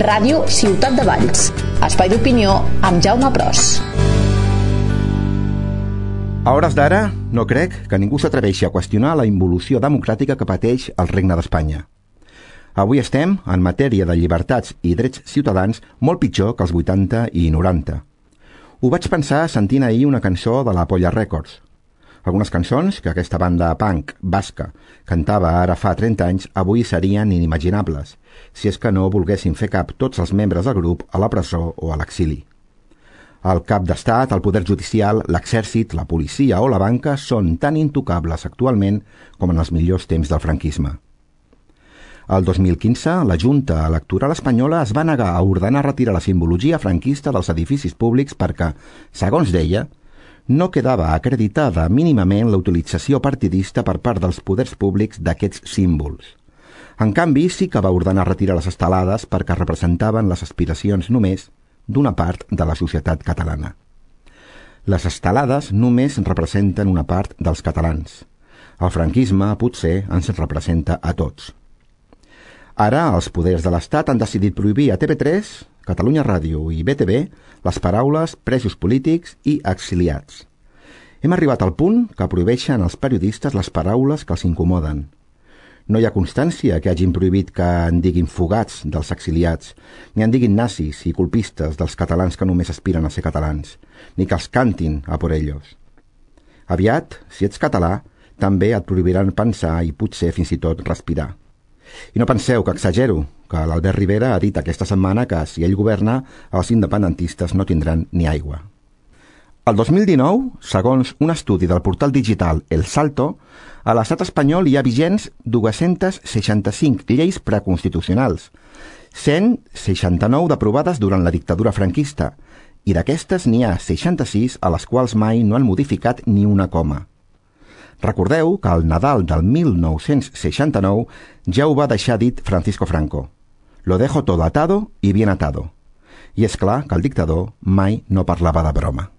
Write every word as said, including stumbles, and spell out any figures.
Ràdio Ciutat de Valls. Espai d'opinió amb Jaume Pros. A hores d'ara, no crec que ningú s'atreveixi a qüestionar la involució democràtica que pateix el Regne d'Espanya. Avui estem, en matèria de llibertats i drets ciutadans, molt pitjor que els vuitanta i noranta. Ho vaig pensar sentint ahir una cançó de la Polla Records. Algunes cançons que aquesta banda punk basca cantava ara fa trenta anys avui serien inimaginables, si és que no volguessin fer cap tots els membres del grup a la presó o a l'exili. El cap d'estat, el poder judicial, l'exèrcit, la policia o la banca són tan intocables actualment com en els millors temps del franquisme. El dos mil quinze, la Junta Electoral Espanyola es va negar a ordenar retirar la simbologia franquista dels edificis públics perquè, segons deia, no quedava acreditada mínimament la utilització partidista per part dels poders públics d'aquests símbols. En canvi, sí que va ordenar retirar les estelades perquè representaven les aspiracions només d'una part de la societat catalana. Les estelades només representen una part dels catalans. El franquisme, potser, ens representa a tots. Ara, els poders de l'Estat han decidit prohibir a T V tres, Catalunya Ràdio i B T V les paraules presos polítics i exiliats. Hem arribat al punt que prohibeixen als periodistes les paraules que els incomoden. No hi ha constància que hagin prohibit que en diguin fugats dels exiliats, ni en diguin nazis i colpistes dels catalans que només aspiren a ser catalans, ni que els cantin a por ellos. Aviat, si ets català, també et prohibiran pensar i potser fins i tot respirar. I no penseu que exagero, que l'Albert Rivera ha dit aquesta setmana que si ell governa, els independentistes no tindran ni aigua. El dos mil dinou, segons un estudi del portal digital El Salto, a l'estat espanyol hi ha vigents dos-centes seixanta-cinc lleis preconstitucionals, cent seixanta-nou d'aprovades durant la dictadura franquista, i d'aquestes n'hi ha seixanta-sis a les quals mai no han modificat ni una coma. Recordeu que al Nadal del mil nou-cents seixanta-nou ja ho va deixar dit Francisco Franco. Lo dejo todo atado y bien atado. I és clar que el dictador mai no parlava de broma.